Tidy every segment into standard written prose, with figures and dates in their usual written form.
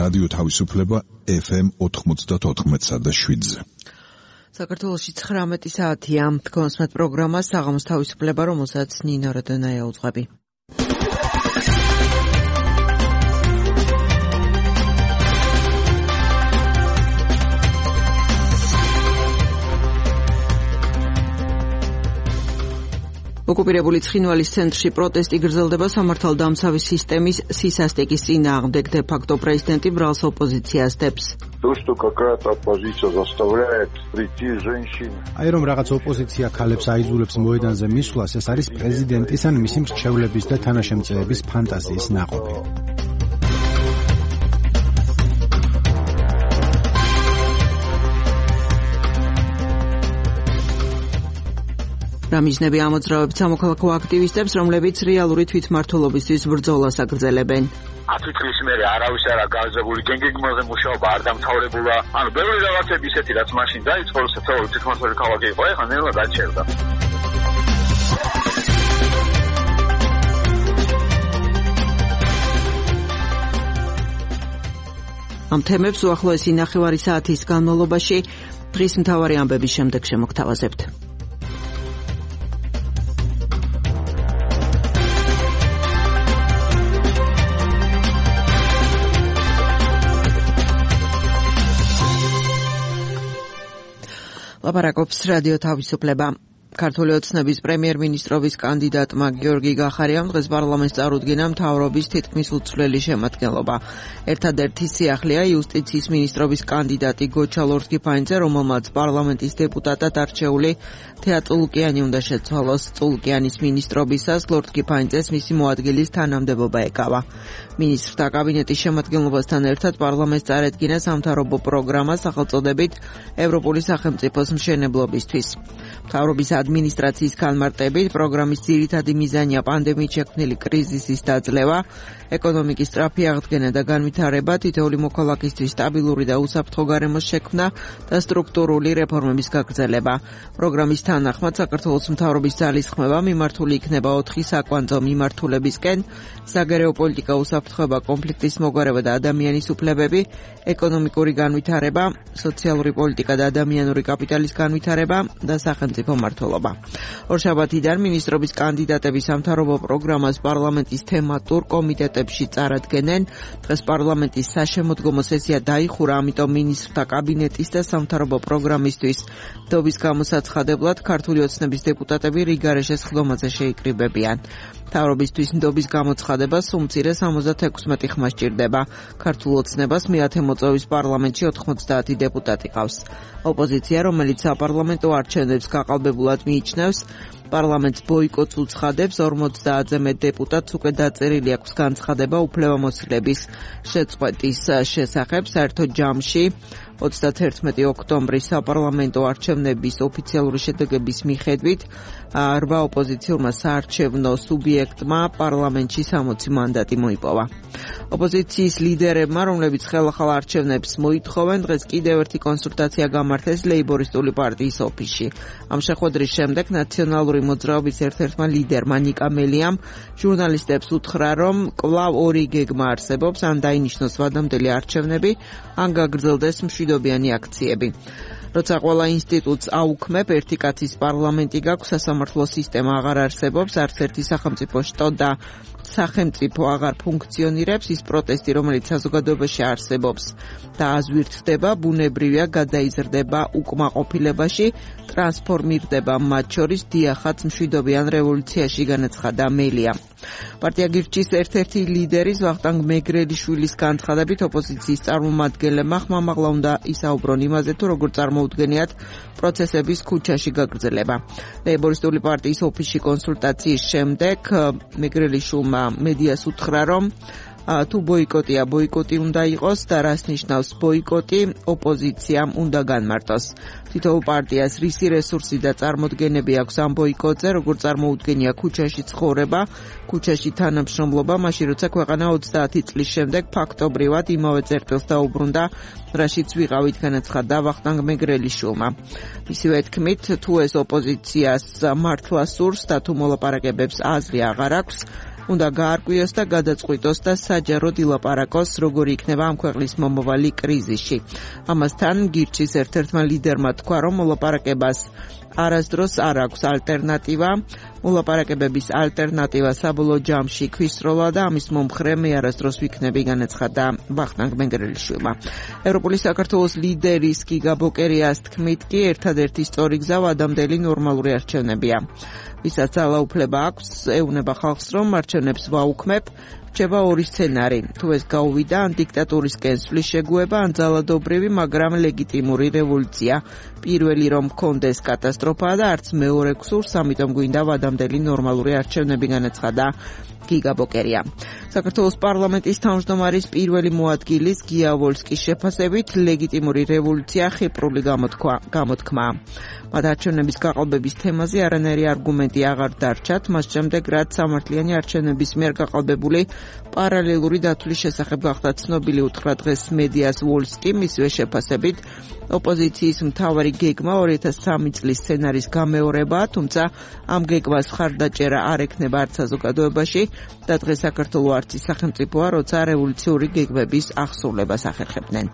რადიო თავისუფლება FM 94.7-ზე. საქართველოში 19 საათია. თქვენსმეთ პროგრამა საღამოს თავისუფლება, რომელსაც ნინო როდონაია უძღვები. ოკუპირებული ცხინვალის ცენტრში პროტესტი გრძელდება სამართალდამცავი სისტემის სისასტიკის წინააღმდეგ. დე-ფაქტო პრეზიდენტი ბრალს ოპოზიციას დებს. აი რომ რაღაც ოპოზიცია ქალებს აიძულებს მოედანზე მისვლას, ეს არის პრეზიდენტის ან მისი მრჩევლების და თანაშემწეების ფანტაზიის ნაყოფი. რამიზნები ამოძრავებთ სამოქალაქო აქტივისტებს, რომლებიც რეალური თვითმმართველობისთვის ბრძოლას აგრძელებენ. 10 წლის მერე არავის არ გააზრებული გენგეგმაზე მუშაობა არ დამთავრებულა. ანუ ბევრი რაღაცები ისეთი, რაც მაშინ დაიწყო, საერთოდ თვითმმართველი ქალაქი იყო, ეხლა ნელა გაჩერდა. ამ თემებს უახლოესი ნახევარი საათის განმავლობაში დღის მთავარი ამბების შემდეგ შემოგთავაზებთ. ლაპარაკობს რადიო თავისუფლება. ქართული ოცნების პრემიერ-მინისტრობის კანდიდატმა გიორგი გახარიამ დღეს პარლამენტს წარუდგინა მთავრობის თითქმის უცვლელი შემადგენლობა. ერთადერთი სიახლეა იუსტიციის მინისტრობის კანდიდატი გოჩა ლორთქიფანიძე, რომელმაც პარლამენტის დეპუტატად არჩეული თეა წულუკიანი უნდა შეცვალოს. წულუკიანის მინისტრობისას ლორთქიფანიძეს მისი მოადგილის თანამდებობა ეკავა. მინისტრთა კაბინეტის შემადგენლობასთან ერთად პარლამენტს წარედგინა სამთავრობო პროგრამა სახელწოდებით ევროპული სახელმწიფოს მშენებლობისთვის. მთავრობის ადმინისტრაციის განმარტებით პროგრამის ძირითადი მიზანია პანდემიით შექმნილი კრიზისის დაძლევა, ეკონომიკის სწრაფი აღდგენა და განვითარება, თითოეული მოქალაქისთვის სტაბილური და უსაფრთხო გარემოს შექმნა და სტრუქტურული რეფორმების გაგრძელება. პროგრამის თანახმად საქართველოს მთავრობის ძალისხმევა მიმართული იქნება 4 საკვანძო მიმართულებისკენ: საგარეო პოლიტიკა, უსაფრთხოება, კონფლიქტის მოგვარება და ადამიანის უფლებები, ეკონომიკური განვითარება, სოციალური პოლიტიკა და ადამიანური კაპიტალის განვითარება და სახელმწიფო მმართველობა. ორშაბათიდან მინისტრობის კანდიდატები სამთავრობო პროგრამას პარლამენტის თემატურ კომიტეტებში წარადგენენ. დღეს პარლამენტის საშემოდგომო სესია დაიხურა, ამიტომ მინისტრთა კაბინეტის და სამთავრობო პროგრამისთვის ნდობის გამოსაცხადებლად ქართული ოცნების დეპუტატები რიგარეშე სხდომაზე შეიკრიბებიან. მთავრობისთვის ნდობის გამოცხადებას უმცირეს 76 ხმა სჭირდება. ქართულ ოცნებას მეათე მოწვევის პარლამენტში 90 დეპუტატი ყავს. ოპოზიცია, რომელიც საპარლამენტო არჩევნებს გაყალბებულად მიიჩნევს, პარლამენტს ბოიკოტს უცხადებს. 50-ზე მეტ დეპუტატს უკვე დაწერილი აქვს განცხადება უფლებამოსილების შეწყვეტის შესახებ. საერთოდ ჯამში 31 ოქტომბრის საპარლამენტო არჩევნების ოფიციალური შედეგების მიხედვით 8 ოპოზიციურმა საარჩევნო სუბიექტმა პარლამენტში 60 მანდატი მოიპოვა. ოპოზიციის ლიდერებმა, რომლებიც ხელახალ არჩევნებს მოითხოვენ, დღეს კიდევ ერთი კონსულტაცია გამართეს ლეიბორისტული პარტიის ოფისში. ამ შეხვედრის შემდეგ ნაციონალური მოძრაობის ერთ-ერთმა ლიდერმა ნიკა მელიამ ჟურნალისტებს უთხრა, რომ კვლავ ორი გეგმა არსებობს: ან დაინიშნოს ვადამდელი არჩევნები, ან გაგრძელდეს მშვიდობიანი აქციები. როცა ყველა ინსტიტუტს აუქმებ, ერთი კაცის პარლამენტი გაქვს, სასამართლო სისტემა აღარ არსებობს, არც ერთი სახელმწიფო შტო და სახელმწიფო აღარ ფუნქციონირებს, ის პროტესტი, რომელიც საზოგადოებაში არსებობს და აზვირთდება, ბუნებრივია გადაიზრდება უკმაყოფილებაში, ტრანსფორმირდება მათ შორის დიახაც მშვიდობიან რევოლუციაში, განაცხადა მელია. პარტია გირჩის ერთ-ერთი ლიდერის ვახტანგ მეგრელიშვილის განცხადებით, ოპოზიციის წარმომადგენლებმა ხმამაღლა უნდა ისაუბრონ იმაზე, თუ როგორ წარმოუდგენიათ პროცესების ქუჩაში გაგრძელება. ლეიბორისტული პარტიის ოფისში კონსულტაციის შემდეგ მეგრელიშვილმა მედიას უთხრა, რომ თუ ბოიკოტია, ბოიკოტი უნდა იყოს და რას ნიშნავს ბოიკოტი, ოპოზიციამ უნდა განმარტოს. თითოეულ პარტიას რისი რესურსი და წარმოდგენები აქვს ამ ბოიკოტზე, როგორ წარმოუდგენია ქუჩაში ცხოვრება, ქუჩაში თანამშრომლობა, მაშინ როცა ქვეყანა 30 წლის შემდეგ ფაქტობრივად იმავე წერტილს დაუბრუნდა, რაშიც ვიყავით, განაცხადა ვახტანგ მეგრელიშვილმა. მისივე თქმით, თუ ეს ოპოზიციას მართლა სურს და თუ მოლაპარაკებებს აზრი აღარ აქვს, უნდა გაარკვიოს და გადაწყვიტოს და საჯაროდ ილაპარაკოს, როგორი იქნება ამ ქვეყნის მომავალი კრიზისში. ამასთან გირჩის ერთ-ერთმა ლიდერმა თქვა, რომ მოლაპარაკებას არასდროს არ აქვს ალტერნატივა. მოლაპარაკებების ალტერნატივა საბოლოო ჯამში ქვისროლა და ამის მომხრე მე არასდროს ვიქნები, განაცხადა ვახტანგ მენგრელიშვილმა. ევროპული საქართველოს ლიდერის გიგა ბოკერიას თქმით კი ერთადერთი სწორი გზა ვადამდელი ნორმალური არჩევნებია. ვისაც ძალაუფლება აქვს, ეუბნება ხალხს, რომ არჩევნებს ვაუქმებ. რჩება ორი სცენარი. თუ ეს გაუვიდა, ან დიქტატურისკენ სვლის შეგუება, ან ძალადობრივი, მაგრამ ლეგიტიმური რევოლუცია. პირველი რომ მქონდეს კატასტროფაა და არც მეორე გსურს, ამიტომ გვინდა ვადამდელი ნორმალური არჩევნები, განაცხადა გიგა ბოკერია. საქართველოს პარლამენტის თავმჯდომარის პირველი მოადგილის გია ვოლსკის შეფასებით ლეგიტიმური რევოლუცია ხიპრული გამოთქმაა. მათ არჩევნების გაყალბების თემაზე არანაირი არგუმენტი აღარ დარჩათ, მას შემდეგ რაც სამართლიანი არჩევნების მიერ გაყალბებული პარალელური დათვლის შესახებ გახდა ცნობილი უთხრა დღეს მედიას ვოლსკი, მისივე შეფასებით ოპოზიციის მთავარი გეგმა 2003 წლის სცენარის გამეორებაა, თუმცა ამ გეგმას ხარდაჭერა არ ექნება არც საზოგადოებაში და დღეს საქართველოს არც ის სახელმწიფოა, როცა რევოლუციური გეგმების აღსრულებას ახერხებდნენ.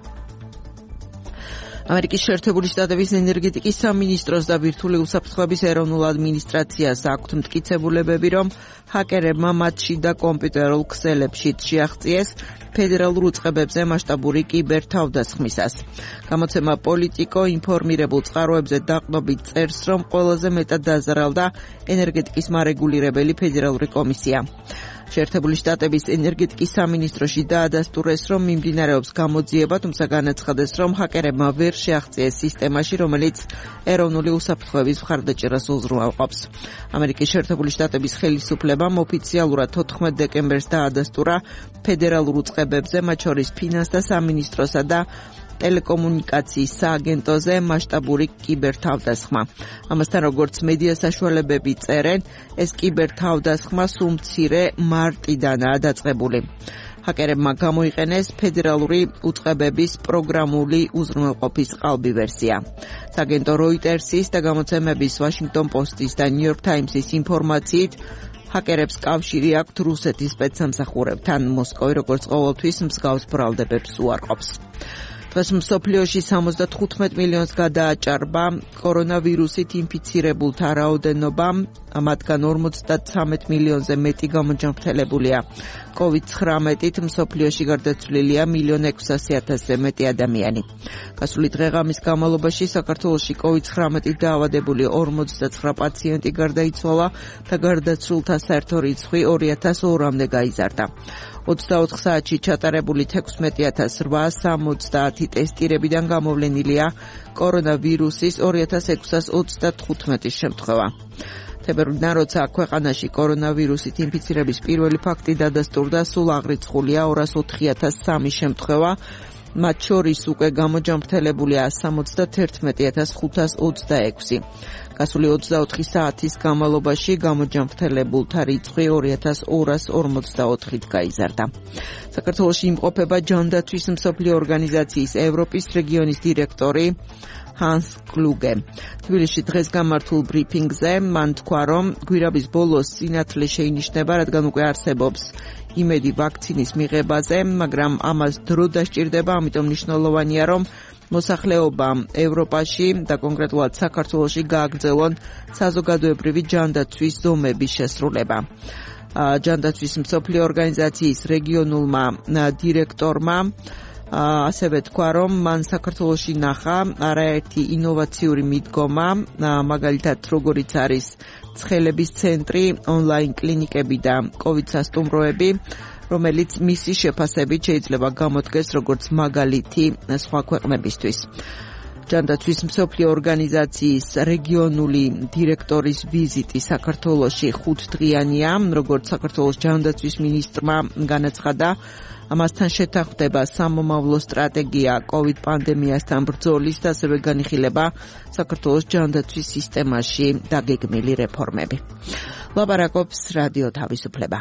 ამერიკის შეერთებული შტატების ენერგეტიკის სამინისტროს და ბირთვული უსაფრთხოების ეროვნულ ადმინისტრაციას აქვთ მტკიცებულებები, რომ ჰაკერებმა მათში და კომპიუტერულ ქსელებში შეაღწიეს ფედერალურ უწყებებზე მასშტაბური კიბერთავდასხმისას. გამოცემა პოლიტიკო ინფორმირებულ წყაროებზე დაყრდნობით წერს, რომ ყველაზე მეტად დაზარალდა ენერგეტიკის მარეგულირებელი ფედერალური კომისია. შეერთებული შტატების ენერგეტიკის სამინისტროში დაადასტურეს, რომ მიმდინარეობს გამოძიება, თუმცა განაცხადეს, რომ ჰაკერებმა ვერ შეაღწიეს სისტემაში, რომელიც ეროვნული უსაფრთხოების მხარდაჭერას უზრუნველყოფს. ამერიკის შეერთებული შტატების ხელისუფლებამ ოფიციალურად 14 დეკემბერს დაადასტურა ფედერალურ უწყებებზე, მათ შორის ფინანსთა სამინისტროსა და ტელეკომუნიკაციის სააგენტოზე მასშტაბური კიბერთავდასხმა. ამასთან, როგორც მედია საშუალებები წერენ, ეს კიბერთავდასხმა სულ მცირე მარტიდანაა დაწყებული. ჰაკერებმა გამოიყენეს ფედერალური უწყებების პროგრამული უზრუნველყოფის ყალბი ვერსია. სააგენტო როიტერსის და გამოცემების ვაშინგტონ პოსტის და ნიუ-იორკ ტაიმსის ინფორმაციით, ჰაკერებს კავშირი აქვთ რუსეთის სპეცსამსახურებთან. მოსკოვი, როგორც ყოველთვის, მსგავს ბრალდებებს უარყოფს. დღეს მსოფლიოში 75 მილიონს გადააჭარბა კორონავირუსით ინფიცირებულთა რაოდენობა, მათგან 53 მილიონზე მეტი გამოჯანმრთელებულია. COVID-19-ით მსოფლიოში გარდაცვლილია 1,600,000-ზე მეტი ადამიანი. გასული დღეღამის განმავლობაში საქართველოში COVID-19-ით დაავადებული 49 პაციენტი გარდაიცვალა და გარდაცვლილთა საერთო რიცხვი 2,200-მდე გაიზარდა. 24 საათში ჩატარებული 16,870 ტესტირებიდან გამოვლენილია კორონავირუსის 2,635 შემთხვევა. თებერვლიდან, როცა ქვეყანაში კორონავირუსით ინფიცირების პირველი ფაქტი დადასტურდა, სულ აღრიცხულია 204,003 შემთხვევა, მათ შორის უკვე გამოჯანმრთელებულია 71,526. გასული 24 საათის განმავლობაში გამოჯანმრთელებულთა რიცხვი 2,244-ით გაიზარდა. საქართველოში იმყოფება ჯანდაცვის მსოფლიო ორგანიზაციის ევროპის რეგიონის დირექტორი ჰანს კლუგე. თბილისში დღეს გამართულ ბრიფინგზე მან თქვა, რომ გვირაბის ბოლოს სინათლე შეინიშნება, რადგან უკვე არსებობს იმედი ვაქცინის მიღებაზე, მაგრამ ამას დრო დასჭირდება, ამიტომ მნიშვნელოვანია, რომ მოსახლეობამ ევროპაში და კონკრეტულად საქართველოში გააგრძელონ საზოგადოებრივი ჯანდაცვის ზომების შესრულება. ჯანდაცვის მსოფლიო ორგანიზაციის რეგიონულმა დირექტორმა ასევე თქვა, რომ მან საქართველოში ნახა არაერთი ინოვაციური მიდგომა, მაგალითად როგორიც არის ცხელების ცენტრი, ონლაინ კლინიკები და COVID სასტუმროები, რომელიც მისი შეფასებით შეიძლება გამოდგეს როგორც მაგალითი სხვა ქვეყნებისთვის. ჯანდაცვის მსოფლიო ორგანიზაციის რეგიონული დირექტორის ვიზიტი საქართველოში 5 დღიანია, როგორც საქართველოს ჯანდაცვის მინისტრმა განაცხადა, ამასთან შეთანხმდება სამომავლო სტრატეგია COVID პანდემიასთან ბრძოლის და ასევე განიხილება საქართველოს ჯანდაცვის სისტემაში დაგეგმილი რეფორმები. ლაპარაკობს რადიო თავისუფლება.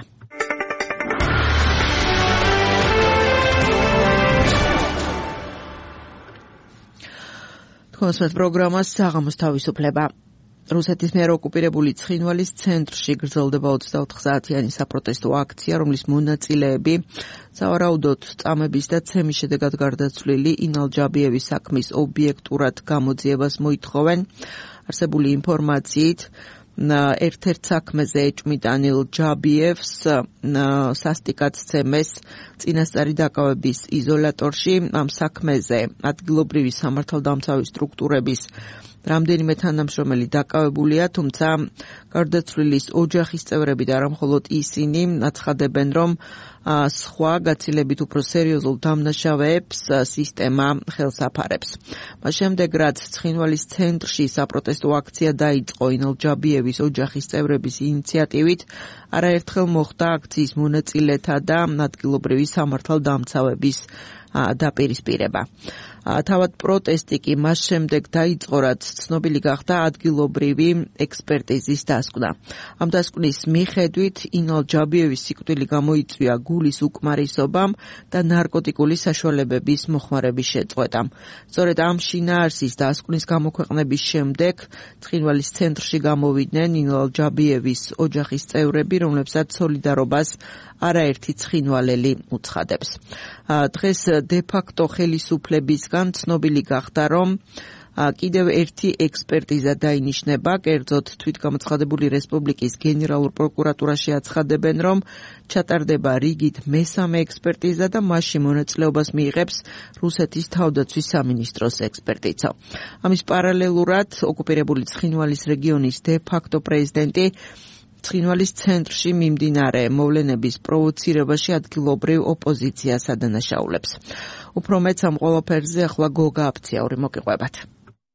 თქოს პროგრამას საღამოს თავისუფლება. რუსეთის მიერ ოკუპირებული ცხინვალის ცენტრში გრძელდება 24 საათიანი საპროტესტო აქცია, რომლის მონაწილეები სავარაუდოდ წამების და ცემის შედეგად გარდაცვლილი ინალ ჯაბიევის საქმის ობიექტურად გამოძიებას მოითხოვენ. არსებული ინფორმაციით ერთ-ერთ საქმეზე ეჭვმით ანილ ჯაბიევს სასტიკად ცემეს წინასწარი დაკავების იზოლატორში. ამ საქმეზე ადგილობრივი სამართალდამცავი სტრუქტურების რამდენიმე თანამშრომელი დაკავებულია, თუმცა გარდაცვლილის ოჯახის წევრები და არა მხოლოდ ისინი აცხადებენ, რომ სხვა გაცილებით უფრო სერიოზულ დამნაშავეებს სისტემა ხელს აფარებს. მას შემდეგ, რაც ცხინვალის ცენტრში საპროტესტო აქცია დაიწყო ინალ ჯაბიევის ოჯახის წევრების ინიციატივით, არაერთხელ მოხდა აქციის მონაწილეთა და ადგილობრივი სამართალდამცავების დაპირისპირება. თავად პროტესტი კი მას შემდეგ დაიწყო, რაც ცნობილი გახდა ადგილობრივი ექსპერტიზის დასკვნა. ამ დასკვნის მიხედვით ინალ ჯაბიევის სიკვდილი გამოიწვია გულის უკმარისობამ და ნარკოტიკული საშუალებების მოხმარების შეწყვეტამ. სწორედ ამ შინაარსის დასკვნის გამოქვეყნების შემდეგ ცხინვალის ცენტრში გამოვიდნენ ინალ ჯაბიევის ოჯახის წევრები, რომლებსაც სოლიდარობას არაერთი ცხინვალელი უცხადებს. დღეს დე-ფაქტო ხელისუფლებისგან ცნობილი გახდა, რომ კიდევ ერთი ექსპერტიზა დაინიშნება, კერძოდ თვითგამოცხადებული რესპუბლიკის გენერალურ პროკურატურაში აცხადებენ, რომ ჩატარდება რიგით მესამე ექსპერტიზა და მასში მონაწილეობას მიიღებს რუსეთის თავდაცვის სამინისტროს ექსპერტიცო. ამის პარალელურად ოკუპირებული ცხინვალის რეგიონის დე-ფაქტო პრეზიდენტი ცხინვალის ცენტრში მიმდინარე მოვლენების პროვოცირებაში ადგილობრივ ოპოზიციას ადანაშაულებს. უფრო მეც ამ ყველაფერზე ახლა გოგა აფციაური მოგიყვებათ.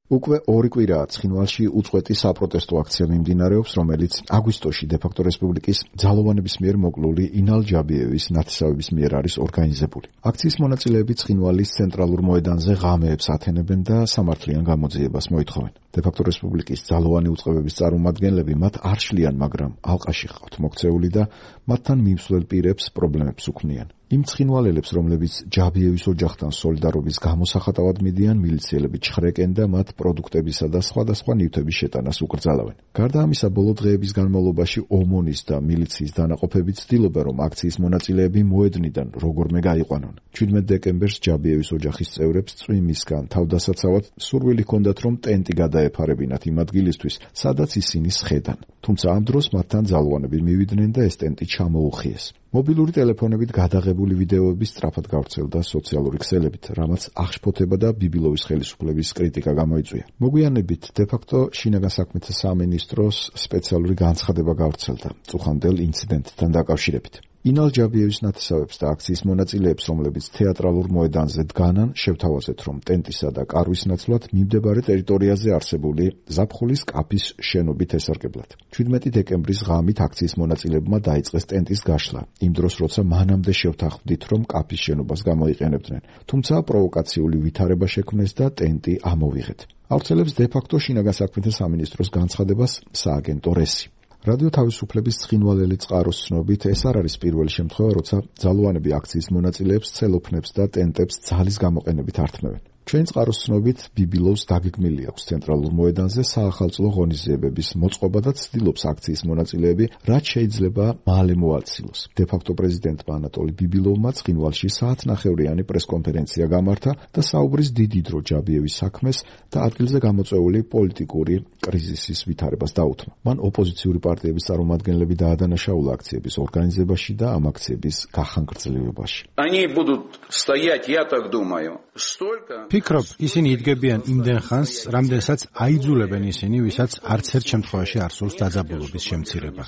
უკვე 2 კვირაა ცხინვალში უწყვეტი საპროტესტო აქცია მიმდინარეობს, რომელიც აგვისტოში დე-ფაქტო რესპუბლიკის ძალოვანების მიერ მოკლული ინალ ჯაბიევის ნათესავების მიერ არის ორგანიზებული. აქციის მონაწილეები ცხინვალის ცენტრალურ მოედანზე ღამეებს ათენებენ და სამართლიან გამოძიებას მოითხოვენ. დე-ფაქტო რესპუბლიკის ძალოვანი უწყებების წარმომადგენლები მათ არ შლიან, მაგრამ ალყაში ჰყავთ მოქცეული და მათთან მიმსვლელ პირებს პრობლემებს უქმნიან. იმ ცხინვალელებს, რომლებიც ჯაბიევის ოჯახთან სოლიდარობის გამოსახატავად მიდიან, მილიციელები ჩხრეკენ და მათ პროდუქტებისა და სხვადასხვა ნივთების შეტანას უკრძალავენ. გარდა ამისა, ბოლო დღეების განმავლობაში ომონის და მილიციის დანაყოფები ცდილობენ, რომ აქციის მონაწილეები მოედნიდან როგორმე გაიყვანონ. 17 დეკემბერს ჯაბიევის ოჯახის წევრებს წვიმისგან თავდასაცავად სურვილი ჰქონდათ, რომ ტენტი გადაეფარებინათ იმ ადგილისთვის, სადაც ისინი სხედან. თუმცა ამ დროს მათთან ძალოვანები მივიდნენ და ეს ტენტი ჩამოუხიეს. მობილური ტელეფონებით გადაღებული ვიდეოები სწრაფად გავრცელდა სოციალური ქსელებით, რამაც აღშფოთება და ბიბილოვის ხელისუფლების კრიტიკა გამოიწვია. მოგვიანებით დე-ფაქტო შინაგან საქმეთა სამინისტროს სპეციალური განცხადება გავრცელდა წუხანდელ ინციდენტთან დაკავშირებით. ინალ ჯაბიევის ნათესავებს და აქციის მონაწილეებს, რომლებიც თეატრალურ მოედანზე დგანან, შევთავაზეთ, რომ ტენტისა და კარვის ნაცვლად მიმდებარე ტერიტორიაზე არსებული ზაფხულის კაფის შენობით ესარგებლათ. 17 დეკემბრის ღამით აქციის მონაწილეებმა დაიწყეს ტენტის გაშლა, იმ დროს, როცა მანამდე შევთანხმდით, რომ კაფის შენობას გამოიყენებდნენ, თუმცა პროვოკაციული ვითარება შექმნეს და ტენტი ამოვიღეთ. ავრცელებს დე-ფაქტო შინაგან საქმეთა სამინისტროს განცხადებას სააგენტო რესი. რადიო თავისუფლების ცხინვალელი წყაროს ცნობით, ეს არ არის პირველი შემთხვევა, როცა ძალოვანები აქციის მონაწილეებს ცელოფნებს და ტენტებს ძალის გამოყენებით ართმევენ. ჩვენ წყაროს ცნობით, ბიბილოვს დაგეგმილი აქვს ცენტრალურ მოედანზე საახალწლო ღონისძიებების მოწყობა და ცდილობს აქციის მონაწილეები რაც შეიძლება მალე მოაცილოს. დე-ფაქტო პრეზიდენტმა ანატოლი ბიბილოვმა ცხინვალში საათნახევრიანი პრესკონფერენცია გამართა და საუბრის დიდი დრო ჯაბიევის საქმეს და ადგილზე გამოწვეული პოლიტიკური კრიზისის ვითარებას დაუთმო. მან ოპოზიციური პარტიების წარმომადგენლები დაადანაშაულა აქციების ორგანიზებაში და ამ აქციების გახანგრძლივებაში. Они будут стоять, я так думаю, столько ფიქრობ, ისინი იდგებიან იმდენ ხანს, რამდენსაც აიძულებენ ისინი, ვისაც არც ერთ შემთხვევაში არ სურს დაძაბულობის შემცირება.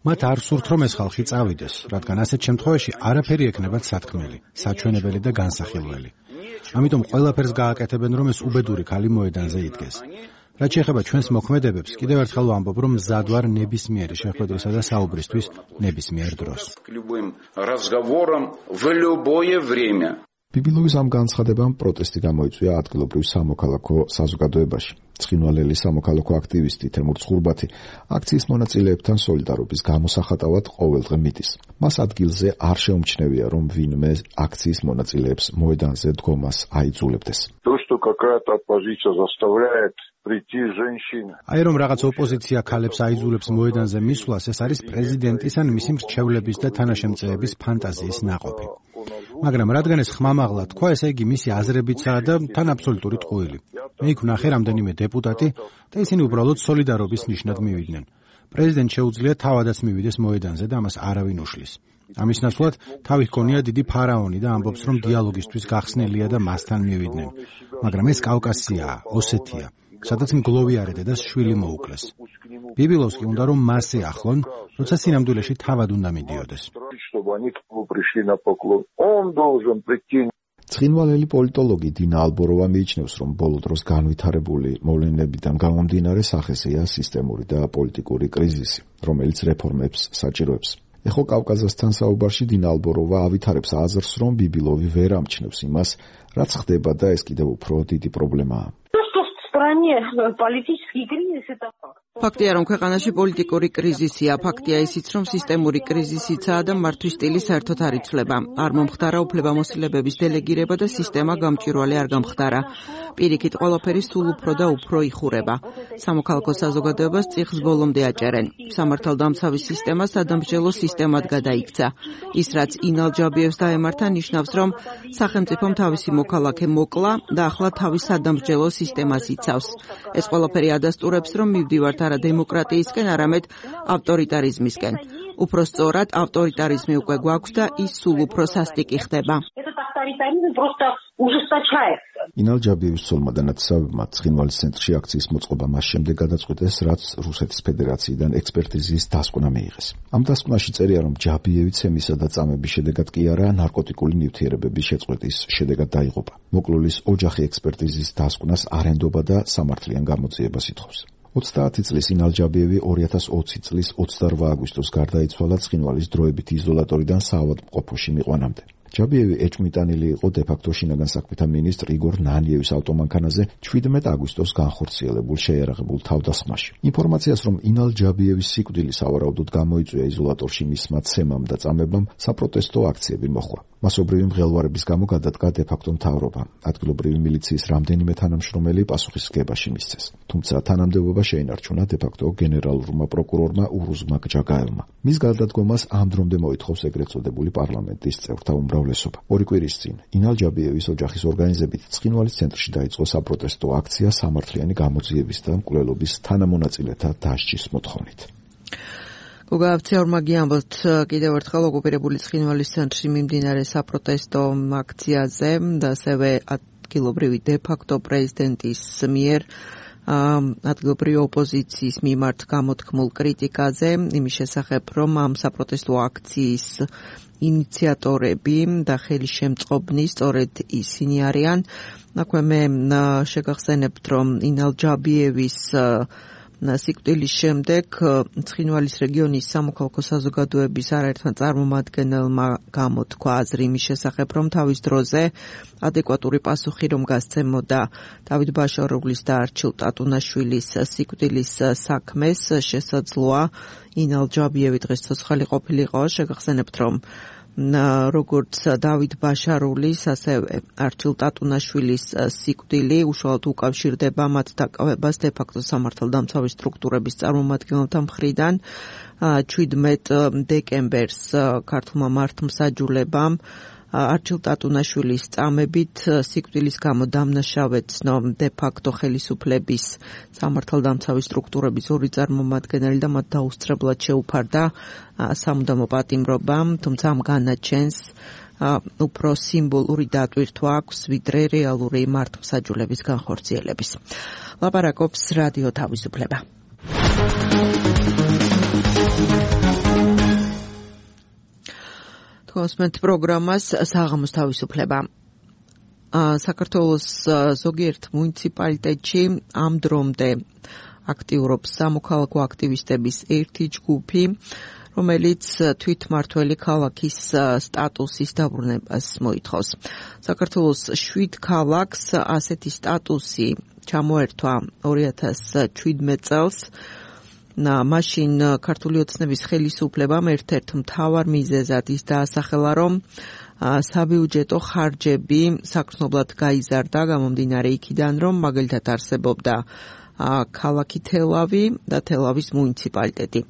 მათ არ სურთ, რომ ეს ხალხი წავიდეს, რადგან ასეთ შემთხვევაში არაფერი ექნებათ სათქმელი, საჩვენებელი და განსახილველი. ამიტომ ყველაფერს გააკეთებენ, რომ ეს უბედური ქალი მოედანზე იდგეს. რაც შეეხება ჩვენს მოქმედებებს, კიდევ ერთხელ ვამბობ, რომ მზად ვარ ნებისმიერი შეხვედრისა და საუბრისთვის ნებისმიერ დროს. ბიბილოვის ამ განცხადებამ პროტესტი გამოიწვია ადგილობრივ სამოქალაქო საზოგადოებაში. ცხინვალელი სამოქალაქო აქტივისტი თემურ ცხურბათი აქციის მონაწილეებთან სოლიდარობის გამოსახატავად ყოველდღე მიდის. მას ადგილზე არ შეუმჩნევია, რომ ვინმე აქციის მონაწილეებს მოედანზე დგომას აიძულებდეს. То, что какая-то оппозиция заставляет прийти женщин. Აი რომ რაღაც ოპოზიცია ქალებს აიძულებს მოედანზე მისვლას, ეს არის პრეზიდენტის ან მისი მრჩევლების და თანაშემწეების ფანტაზიის ნაყოფი. მაგრამ რადგან ეს ხმამაღლა თქვა, ესე იგი მისი აზრებიცაა და თან აბსოლუტური ტყუილი. მე იქ ვნახე რამდენიმე დეპუტატი და ისინი უბრალოდ სოლიდარობის ნიშნად მივიდნენ. პრეზიდენტ შეუძლია თავადაც მივიდეს მოედანზე და ამას არავინ უშლის. ამის ნაცვლად თავი ჰქონია დიდი ფარაონი და ამბობს, რომ დიალოგისთვის გახსნელია და მასთან მივიდნენ. მაგრამ ეს კავკასიაა, ოსეთია, სადაც მგლოვიარე დედას შვილი მოუკლეს. ბიბილოვს კი უნდა რომ მასზე ახლონ, როცა სინამდვილეში თავად უნდა მიდიოდეს. ცხინვალელი პოლიტოლოგი დინა ალბოროვა მიიჩნევს, რომ ბოლო დროს განვითარებული მოვლენებიდან გამომდინარე სახესეა სისტემური და პოლიტიკური კრიზისი, რომელიც რეფორმებს საჭიროებს. ეხო კავკაზასთან საუბარში დინა ალბოროვა ავითარებს აზრს, რომ ბიბილოვი ვერ ამჩნევს იმას, რაც ხდება და ეს კიდევ უფრო დიდი პრობლემაა. ფაქტია, რომ ქვეყანაში პოლიტიკური კრიზისია, ფაქტია ისიც, რომ სისტემური კრიზისიცაა და მართვის სტილი საერთოდ არ იცვლება. არ მომხდარა უფლებამოსილებების დელეგირება და სისტემა გამჭვირვალე არ გამხდარა. პირიქით, ყველაფერი სულ უფრო და უფრო იხურება. სამოქალაქო საზოგადოებას წიხს ბოლომდე აჭერენ. სამართალდამცავი სისტემა სადამსჯელო სისტემად გადაიქცა. ის, რაც ინალ ჯაბიევს დაემართა, ნიშნავს, რომ სახელმწიფომ თავისი მოქალაქე მოკლა და ახლა თავის სადამსჯელო სისტემას იცავს. ეს ყველაფერი ადასტურებს, რომ მივდივართ არა დემოკრატიისკენ, არამედ ავტორიტარიზმისკენ. უფრო სწორად, ავტორიტარიზმი უკვე გვაქვს და ის სულ უფრო სასტიკი ხდება. ინალ ჯაბიევის ცოლმა და ნათესავებმა ცხინვალის ცენტრში აქციის მოწყობა მას შემდეგ გადაწყვიტეს, რაც რუსეთის ფედერაციიდან ექსპერტიზის დასკვნა მიიღეს. ამ დასკვნაში წერია, რომ ჯაბიევი ცემისა და წამების შედეგად კი არა, ნარკოტიკული ნივთიერებების შეწყვეტის შედეგად დაიღუპა. მოკლულის ოჯახი ექსპერტიზის დასკვნას არ ენდობა და სამართლიან გამოძიებას ითხოვს. 30 წლის ინალ ჯაბიევი 2020 წლის 28 აგვისტოს გარდაიცვალა ცხინვალის დროებითი იზოლატორიდან საავადმყოფოში მიყვანამდე. ჯაბიევი ეჭვმიტანილი იყო დე-ფაქტო შინაგან საქმეთა მინისტრ იგორ ნანიევის ავტომანქანაზე 17 აგვისტოს განხორციელებულ შეიარაღებულ თავდასხმაში. ინფორმაციას, რომ ინალ ჯაბიევის სიკვდილი სავარაუდოდ გამოიწვია იზოლატორში მისმა ცემამ და წამებამ, საპროტესტო აქციები მოხდა. მასობრივი მღელვარების გამო გადადგა დე-ფაქტო მთავრობა. ადგილობრივი მილიციის რამდენიმე თანამშრომელი პასუხისმგებაში მისცეს. თუმცა თანამდებობა შეინარჩუნა დე-ფაქტო გენერალურმა პროკურორმა ურუზმა გჯაგაევმა. მის გარდადგომას ამ დრომდე მოითხოვს ეგრეთ წოდებული პარლამენტის წევრთა უმრავლესობა. ორი კვირის წინ ინალ ჯაბიევის ოჯახის ორგანიზებით ცხინვალის ცენტრში დაიწყო საპროტესტო აქცია სამართლიანი გამოძიების და მკვლელობის თანამონაწილეთა დასჯის მოთხოვნით. გოგაავციაურმა გიამბოთ კიდევ ერთხელ ოკუპირებული ცხინვალის ცენტრში მიმდინარე საპროტესტო აქციაზე და ასევე ადგილობრივი დე-ფაქტო პრეზიდენტის მიერ ადგილობრივი ოპოზიციის მიმართ გამოთქმულ კრიტიკაზე, იმის შესახებ, რომ ამ საპროტესტო აქციის ინიციატორები და ხელისშემწყობნი სწორედ ისინი არიან. აქვე მე შეგახსენებთ, რომ ინალ ჯაბიევის სიკვდილის შემდეგ ცხინვალის რეგიონის სამოქალაქო საზოგადოების არაერთმა წარმომადგენელმა გამოთქვა აზრი იმის შესახებ, რომ თავის დროზე ადეკვატური პასუხი რომ გასცემოდა დავით ბაშარულის და არჩილ ტატუნაშვილის სიკვდილის საქმეს, შესაძლოა ინალ ჯაბიევი დღეს ცოცხალი ყოფილიყო. შეგახსენებთ, რომ როგორც დავით ბაშარულის, ასევე არჩილ ტატუნაშვილის სიკვდილი უშუალოდ უკავშირდება მათ დაკავებას დე-ფაქტო სამართალდამცავი სტრუქტურების წარმომადგენელთა მხრიდან. 17 დეკემბერს ქართულმა მართლმსაჯულებამ არჩილ ტატუნაშვილის წამებით სიკვდილის გამო დამნაშავე ცნო დე-ფაქტო ხელისუფლების სამართალდამცავი სტრუქტურების ორი წარმომადგენელი და მათ დაუსწრებლად შეუფარდა სამუდამო პატიმრობა, თუმცა ამ განაჩენს უფრო სიმბოლური დატვირთვა აქვს, ვიდრე რეალური მართლმსაჯულების განხორციელების. ლაპარაკობს რადიო თავისუფლება. კონსმენტ პროგრამას საღამოს თავისუფლება. საქართველოს ზოგიერთ მუნიციპალიტეტში ამ დრომდე აქტიურობს სამოქალაქო აქტივისტების ერთი ჯგუფი, რომელიც თვითმმართველი ქალაქის სტატუსის დაბრუნებას მოითხოვს. საქართველოს 7 ქალაქს ასეთი სტატუსი ჩამოერთვა 2017 წელს. მაშინ ქართული ოცნების ხელისუფლებამ ერთ-ერთ მთავარ მიზეზად ის დაასახელა, რომ საბიუჯეტო ხარჯები საგრძნობლად გაიზარდა გამომდინარე იქიდან, რომ მაგალითად არსებობდა ქალაქი თელავი და თელავის მუნიციპალიტეტი.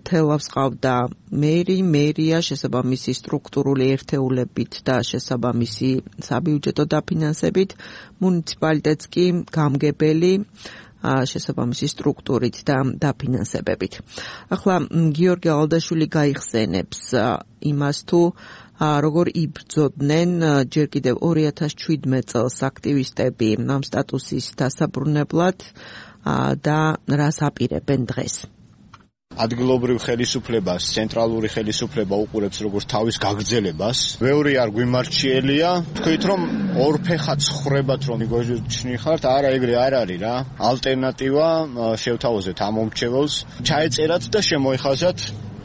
თელავს ყავდა მერია შესაბამისი სტრუქტურული ერთეულებით და შესაბამისი საბიუჯეტო დაფინანსებით, მუნიციპალიტეტს კი გამგებელი შესაბამისი სტრუქტურით და დაფინანსებებით. ახლა გიორგი ალდაშვილი გაიხსენებს იმას თუ როგორ იბრძოდნენ ჯერ კიდევ 2017 წელს აქტივისტები ამ სტატუსის დასაბრუნებლად და რას აპირებენ დღეს. ადგილობრივ ხელისუფლებას, ცენტრალური ხელისუფლება უყურებს როგორც თავის გაგრძელებას. ბევრი არ გვიმარჩიელია. თქვით რომ ორფეხა ცხრებად რომ მიგოჩნიხართ, არა ეგრე არ არის რა. ალტერნატივა შევთავაზეთ ამ მომრჩეველს, ჩაეწერათ და შემოიხაზათ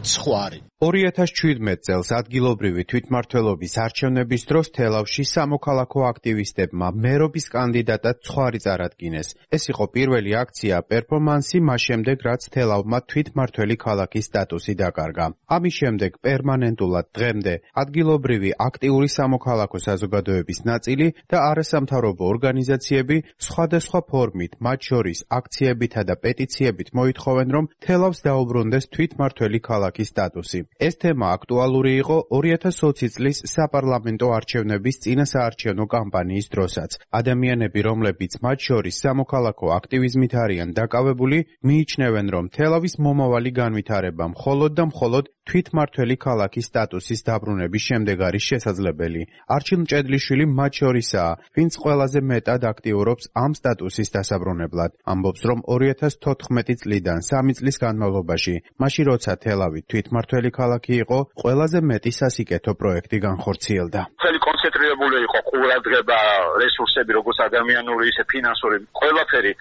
ცხვარი. 2017 წელს ადგილობრივი თვითმმართველობის არჩევნების დროს თელავში სამოქალაქო აქტივისტებმა მერობის კანდიდატად ცხვარი წარადგინეს. ეს იყო პირველი აქცია პერფორმანსი მას შემდეგ, რაც თელავმა თვითმმართველი ქალაქის სტატუსი დაკარგა. ამის შემდეგ პერმანენტულად დღემდე ადგილობრივი აქტიური სამოქალაქო საზოგადოების ნაწილი და არასამთავრობო ორგანიზაციები სხვადასხვა ფორმით, მათ შორის აქციებითა და პეტიციებით მოითხოვენ, რომ თელავს დაუბრუნდეს თვითმმართველი ქალაქის სტატუსი. ეს თემა აქტუალური იყო 2020 წლის საპარლამენტო არჩევნების წინასაარჩევნო კამპანიის დროსაც. ადამიანები, რომლებიც მათ შორის სამოქალაქო აქტივიზმით არიან დაკავებული, მიიჩნევენ, რომ თელავის მომავალი განვითარება მხოლოდ და მხოლოდ თვითმმართველი ქალაქის სტატუსის დაბრუნების შემდეგ არის შესაძლებელი. არჩილ მჭედლიშვილი მათ შორისაა, ვინც ყველაზე მეტად აქტიურობს ამ სტატუსის დასაბრუნებლად. ამბობს, რომ 2014 წლიდან 3 წლის განმავლობაში, მაშინ როცა თელავი თვითმმართველი ქალაქი იყო, ყველაზე მეტი სასიკეთო პროექტი განხორციელდა. Მთელი კონცენტრირებული იყო ყურადღება, რესურსები, როგორც ადამიანური, ისე ფინანსური, ყველაფერი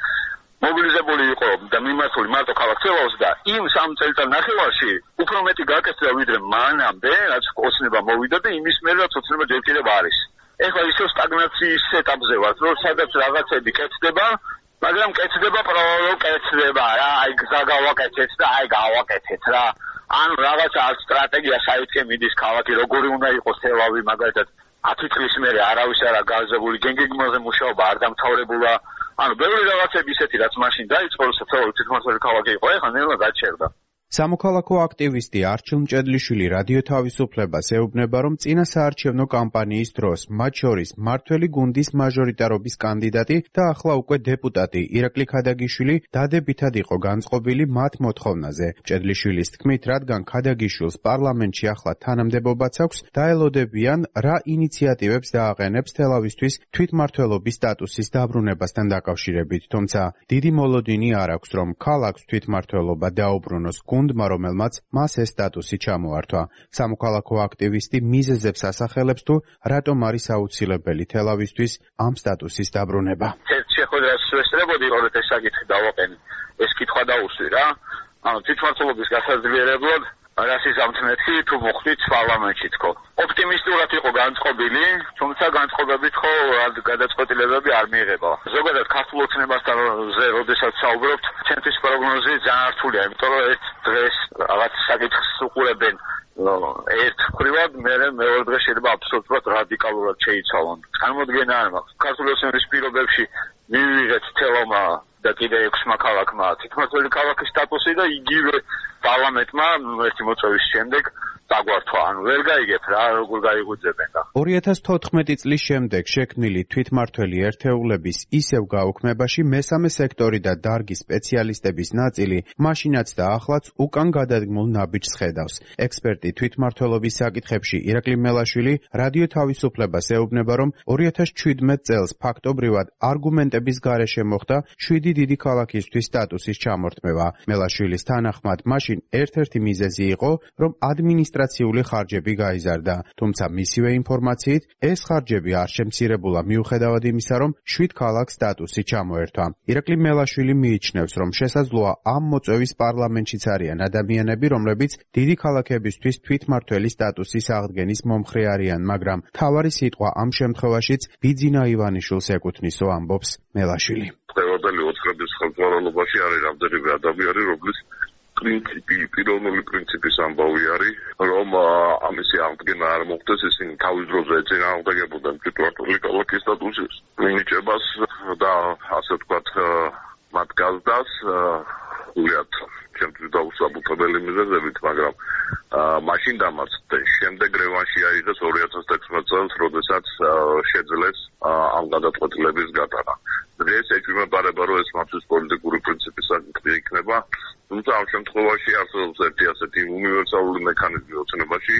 მობილიზებული იყო და მიმართული მარტო ქალაქ თელავს და იმ 3 წელიწად ნახევარში უფრო მეტი გაკეთდა ვიდრე მანამდე, რაც ოცნება მოვიდა და იმის მერე რაც ოცნება ჯერ კიდევ არის. ეხლა ისევ სტაგნაციის ეტაპზე ვართ, რომ სადაც რაღაცები კეთდება, მაგრამ კეთდება პროლოგ კეთდება რა, აი გზა გავაკეთეთ და აი გავაკეთეთ რა. ან რაღაცა სტრატეგია საერთე მიდის ქალაქი როგორი უნდა იყოს თელავი მაგალითად 10 წლის მერე არავის არა გააზრებული გენგეგმაზე მუშაობა არ დამთავრებულა ანუ ბევრი რაღაცები ისეთი რაც მაშინ დაიწყო თელავი თვითმმართველი ქალაქი იყო ეხლა ნელა გაჩერდა სამოქალაქო აქტივისტი არჩილ მჭედლიშვილი რადიო თავისუფლებას ეუბნება, რომ წინასაარჩევნო კამპანიის დროს, მათ შორის მმართველი გუნდის მაჟორიტარობის კანდიდატი და ახლა უკვე დეპუტატი ირაკლი ქადაგიშვილი დადებითად იყო განწყობილი მათ მოთხოვნაზე. მჭედლიშვილის თქმით, რადგან ქადაგიშვილს პარლამენტში ახლა თანამდებობაც აქვს, დაელოდებიან რა ინიციატივებს დააყენებს თელავისთვის თვითმმართველობის სტატუსის დაბრუნებასთან დაკავშირებით, თუმცა დიდი მოლოდინი არ აქვს, რომ ქალაქს თვითმმართველობა დაუბრუნოს გუნდმა, რომელმაც მას ეს სტატუსი ჩამოართვა. სამოქალაქო აქტივისტი მიზეზებს ასახელებს თუ რატომ არის აუცილებელი თელავისთვის ამ სტატუსის დაბრუნება. ერთ შეხვედრას ვესწრებოდი, რომ ეს საკითხი დავაყენე. ეს კითხვა დაუსვი რა. ანუ თვითმმართველობის გასაძლიერებლად რასის ამთნეთი თუ მოხდით პარლამენტში თქო. ოპტიმისტურად იყო განწყობილი, თუმცა განწყობებით ხო გადაწყვეტილებები არ მიიღება. ზოგადად ქართულ ოცნებასთან როდესაც საუბრობთ, ჩემთვის პროგნოზი ძალიან რთულია, იმიტომ რომ ერთ დღეს რაღაც საკითხს უყურებენ ერთ მხრივად, მეორე დღეს შეიძლება აბსოლუტურად რადიკალურად შეიცვალონ. წარმოდგენა არ მაქვს. ქართული ოცნების პირობებში მივიღეთ თელავმა და კიდე 6 ქალაქმა თვითმმართველი ქალაქის სტატუსი და იგივე პარლამენტმა ერთი მოწვევის შემდეგ დაგვართვა, ანუ ვერ გაიგებ რა, როგორ გაიღვიძებენ და 2014 წლის შემდეგ შექმნილი თვითმმართველი ერთეულების ისევ გაუქმებაში მესამე სექტორი და დარგის სპეციალისტების ნაწილი მაშინაც და ახლაც უკან გადადგმულ ნაბიჯს ხედავს. ექსპერტი თვითმმართველობის საკითხებში ირაკლი მელაშვილი რადიო თავისუფლებას ეუბნება, რომ 2017 წელს ფაქტობრივად არგუმენტების გარეშე მოხდა 7 დიდი ქალაქისთვის სტატუსის ჩამორთმევა. მელაშვილის თანახმად მაშინ ერთ-ერთი მიზეზი იყო, რომ ადმინისტრაციული ხარჯები გაიზარდა, თუმცა მისივე ინფორმაციით ეს ხარჯები არ შემცირებულა მიუხედავად იმისა, რომ 7 ქალაქს სტატუსი ჩამოერთვა. ირაკლი მელაშვილი მიიჩნევს, რომ შესაძლოა ამ მოწვევის პარლამენტშიც არიან ადამიანები, რომლებიც დიდი ქალაქებისთვის თვითმმართველი სტატუსის აღდგენის მომხრე არიან, მაგრამ თავარი სიტყვა ამ შემთხვევაშიც ბიძინა ივანიშვილს ეკუთვნისო, ამბობს მელაშვილი. ყველაფერი ოცხრების ხელმძღვანელობაში არის რამდენიმე ადამიანი, რომლის პიროვნული პრინციპის ამბავი არის, რომ ამისი აღდგენა არ მოხდეს, ისინი თავის დროზე ეწინააღმდეგებოდნენ თვითმმართველი ქალაქის სტატუსის მინიჭებას და ასე ვთქვათ მათ გაზდას უიათ ჩემთვის დაუსაბუთებელი მიზეზებით, მაგრამ მაშინ დამარცხდნენ. შემდეგ რევანში აიღეს 2016 წელს, როდესაც შეძლეს ამ გადაწყვეტილების გატანა. დღეს ეჭვმეპარება, რომ ეს მათთვის პოლიტიკური პრინციპის საკითხი იქნება, თუმცა ამ შემთხვევაში არსებობს ერთი ასეთი უნივერსალური მექანიზმი ოცნებაში,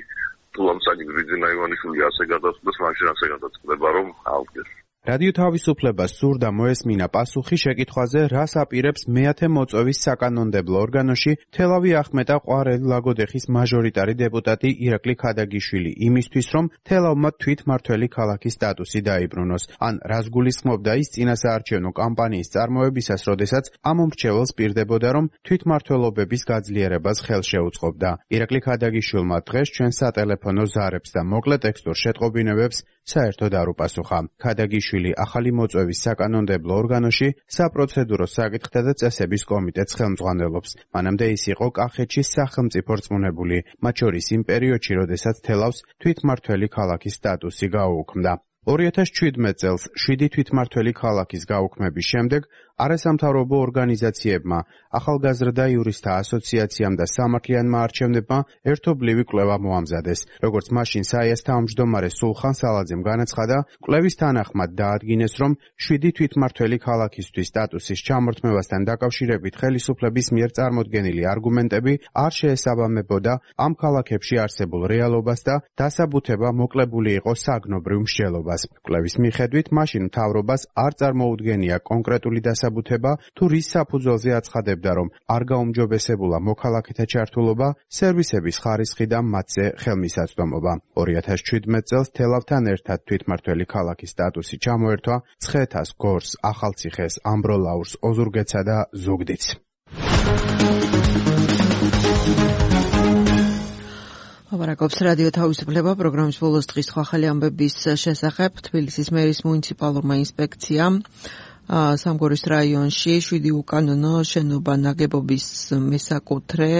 თუ ამ საკითხი ძინა ივანიშვილი ასე გადაწყვეტს, მაშინ ასე გადაწყვეტება, რომ აღდგეს. რადიო თავისუფლებას სურდა მოესმინა პასუხი შეკითხვაზე, რას აპირებს მეათე მოწვევის საკანონმდებლო ორგანოში თელავი ახმეტა ყვარელი ლაგოდეხის მაჟორიტარი დეპუტატი ირაკლი ქადაგიშვილი იმისთვის, რომ თელავმა თვითმმართველი ქალაქის სტატუსი დაიბრუნოს. ან რას გულისხმობდა ის წინასაარჩევნო კამპანიის წარმოებისას, როდესაც ამ მომრჩეველს პირდებოდა, რომ თვითმმართველობების გაძლიერებას ხელს შეუწყობდა. ირაკლი ქადაგიშვილმა დღეს ჩვენ სატელეფონო ზარებს და მოკლე ტექსტურ შეტყობინებებს საერთოდ არ უპასუხა. ქადაგიშვილი ახალი მოწვევის საკანონმდებლო ორგანოში საპროცედურო საკითხთა და წესების კომიტეტს ხელმძღვანელობს. მანამდე ის იყო კახეთში სახელმწიფო რწმუნებული, მათ შორის იმ პერიოდში, როდესაც თელავს თვითმმართველი ქალაქის სტატუსი გაუუქმდა. 2017 წელს 7 თვითმმართველი ქალაქის გაუქმების შემდეგ არასამთავრობო ორგანიზაციებმა, ახალგაზრდა იურისტთა ასოციაციამ და სამართლიანმა არჩევნებმა ერთობლივი კვლევა მოამზადეს. როგორც მაშინ საიას თავმჯდომარე სულხან სალაძემ განაცხადა, კვლევის თანახმად დაადგინეს, რომ 7 თვითმმართველი ქალაქისთვის სტატუსის ჩამორთმევასთან დაკავშირებით ხელისუფლების მიერ წარმოდგენილი არგუმენტები არ შეესაბამებოდა ამ ქალაქებში არსებულ რეალობას და დასაბუთება მოკლებული იყო საგნობრივ მსჯელობას. კვლევის მიხედვით, მაშინ მთავრობას არ წარმოუდგენია კონკრეტული დასაბუთება, თუ რის საფუძველზე აცხადებდა, რომ არ გაუმჯობესებულა მოქალაქეთა ჩართულობა, სერვისების ხარისხი და მათზე ხელმისაწვდომობა. 2017 წელს თელავთან ერთად თვითმმართველი ქალაქის სტატუსი ჩამოერთვა ცხეთას, გორს, ახალციხეს, ამბროლაურს, ოზურგეთსა და ზუგდიდს. ლაპარაკობს რადიო თავისუფლება პროგრამის ბოლოს დღის ახალი ამბების შესახებ. თბილისის მერის მუნიციპალურმა ინსპექციამ სამგორის რაიონში 7 უკანონო შენობა ნაგებობის მესაკუთრე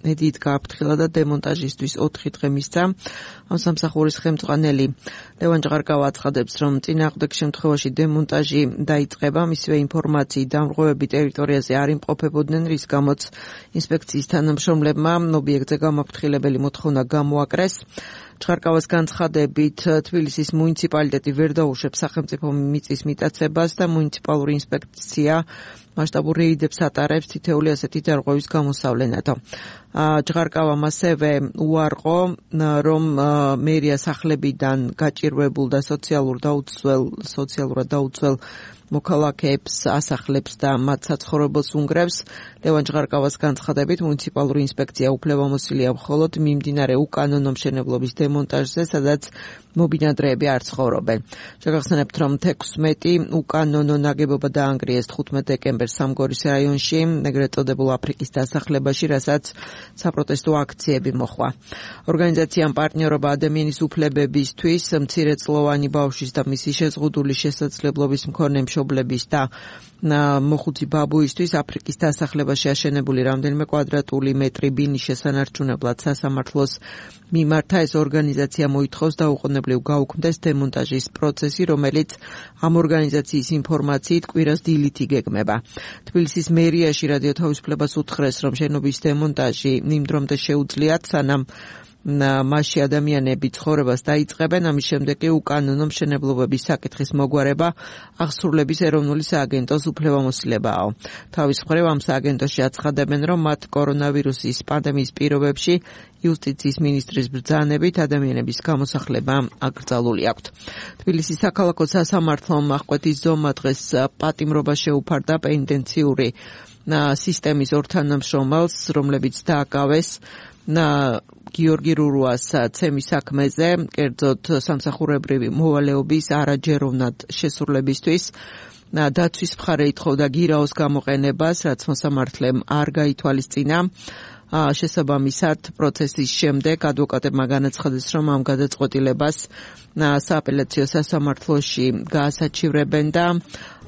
ედით გააფრთხილა და დემონტაჟისთვის 4 დღე მისცა. ამ სამსახურის ხელმძღვანელი ლევან ჭღარკავა აცხადებს, რომ წინააღმდეგ შემთხვევაში დემონტაჟი დაიწყება, მისივე ინფორმაციით დამრღვევები ტერიტორიაზე არ იმყოფებოდნენ, რის გამოც ინსპექციის თანამშრომლებმა ობიექტზე გამაფრთხილებელი მოთხოვნა გამოაკრეს. ჭღარკავას განცხადებით, თბილისის მუნიციპალიტეტი ვერ დაუშვებს სახელმწიფო მიწის მიტაცებას და მუნიციპალური ინსპექცია მასშტაბურ რეიდებს ატარებს თითეული ასეთი დარღვევის გამოსავლენად. ჭღარკავამ ასევე უარყო, რომ მერია სახლებიდან გაჭირვებულ და სოციალურად დაუცველ მოქალაქეებს ასახლებს და მათ საცხოვრებელს უნგრევს. ლევან ჭღარკავას განცხადებით, მუნიციპალური ინსპექცია უფლებამოსილია მხოლოდ მიმდინარე უკანონო მშენებლობის დემონტაჟზე, სადაც მობინადრეები არ ცხოვრობენ. შეგახსენებთ, რომ 16 უკანონო ნაგებობა დაანგრიეს 15 დეკემბერს სამგორის რაიონში, ეგრეთ წოდებულ აფრიკის დასახლებაში, რასაც საპროტესტო აქციები მოხდა. ორგანიზაციამ პარტნიორობა ადამიანის უფლებებისთვის, მცირეწლოვანი ბავშვის და მისი შეზღუდული შესაძლებლობის მქონე მშობლების და მოხუცი ბაბუისთვის აფრიკის დასახლებაში აშენებული რამდენიმე კვადრატული მეტრი ბინის შესანარჩუნებლად სასამართლოს მიმართა. ეს ორგანიზაცია მოითხოვს დაუყოვნებლივ გაუქმდეს დემონტაჟის პროცესი, რომელიც ამ ორგანიზაციის ინფორმაციით კვირას დილით იგეგმება. თბილისის მერიაში რადიო თავისუფლებას უთხრეს, რომ შენობის დემონტაჟი იმ დრომდე შეუძლიათ, სანამ მასში ადამიანები ცხოვრებას დაიწყებენ, ამის შემდეგ კი უკანონო მშენებლობების საკითხის მოგვარება აღსრულების ეროვნული სააგენტოს უფლებამოსილებაა. თავის მხრივ ამ სააგენტოში აცხადებენ, რომ მათ კორონავირუსის პანდემიის პირობებში იუსტიციის მინისტრის ბრძანებით ადამიანების გამოსახლება აკრძალული აქვთ. თბილისის საქალაქო სასამართლომ აღკვეთის ზომა დღეს პატიმრობა შეუფარდა პენიტენციური სისტემის ორ თანამშრომელს, რომლებიც დააკავეს გიორგი რურუას ცემის საქმეზე, კერძოდ სამსახურებრივი მოვალეობის არაჯეროვნად შესრულებისთვის. დაცვის მხარე ითხოვდა გირაოს გამოყენებას, რაც მოსამართლემ არ გაითვალისწინა. შესაბამისად, პროცესის შემდეგ ადვოკატებმა განაცხადეს, რომ ამ გადაწყვეტილებას სააპელაციო სასამართლოში გაასაჩივრებენ და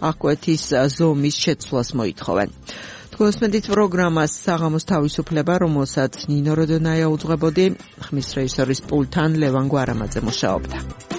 აღკვეთის ზომის შეცვლას მოითხოვენ. თქვენსმენდით პროგრამას საღამოს თავისუფლება, რომელსაც ნინო როდონაია უძღვებოდი, ხმის რეჟისორის პულტთან ლევან გვარამაძე მუშაობდა.